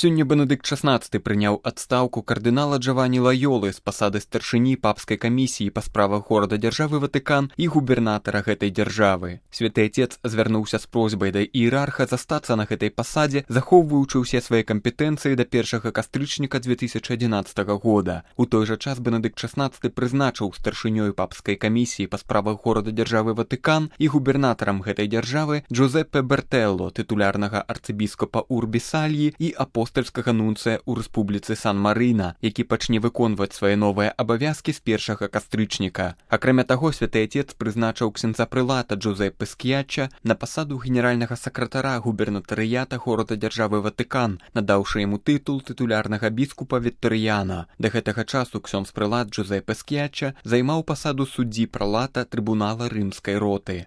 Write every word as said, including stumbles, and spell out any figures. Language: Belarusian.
Сёння Бенедыкт шаснаццаты прыняў адстаўку кардынала Джавані Лайолы з пасады старшыні папскай камісіі па справах горада-дзяржавы Ватыкан і губернатара гэтай дзяржавы. Святы Отец звярнуўся з просьбай да іерарха застацца на гэтай пасадзе, захоўваючы ўсе свае кампетэнцыі да першага кастрычніка дзве тысячы адзінаццатага года. У той жа час Бенедыкт шаснаццаты прызначыў старшынёй папскай камісіі па справах горада-дзяржавы Ватыкан і губернатарам гэтай дзяржавы Джузеппе Бертэлло, тытулярнага арцыбіскапа Урбі-Сальі і апостальскага нунцыя ў рэспубліцы Сан-Марына, які пачне выконваць свае новыя абавязкі з першага кастрычніка. Акрамя таго, Святы Отец прызначыў ксяндза прылата Джузеппе Ск'ячча на пасаду генеральнага сакратара губернатарыята горада-дзяржавы Ватыкан, надаўшы яму тытул тытулярнага біскупа Віктарыяна. Да гэтага часу ксёндз прылат Джузеппе Ск'ячча займаў пасаду суддзі пралата трыбунала рымскай роты.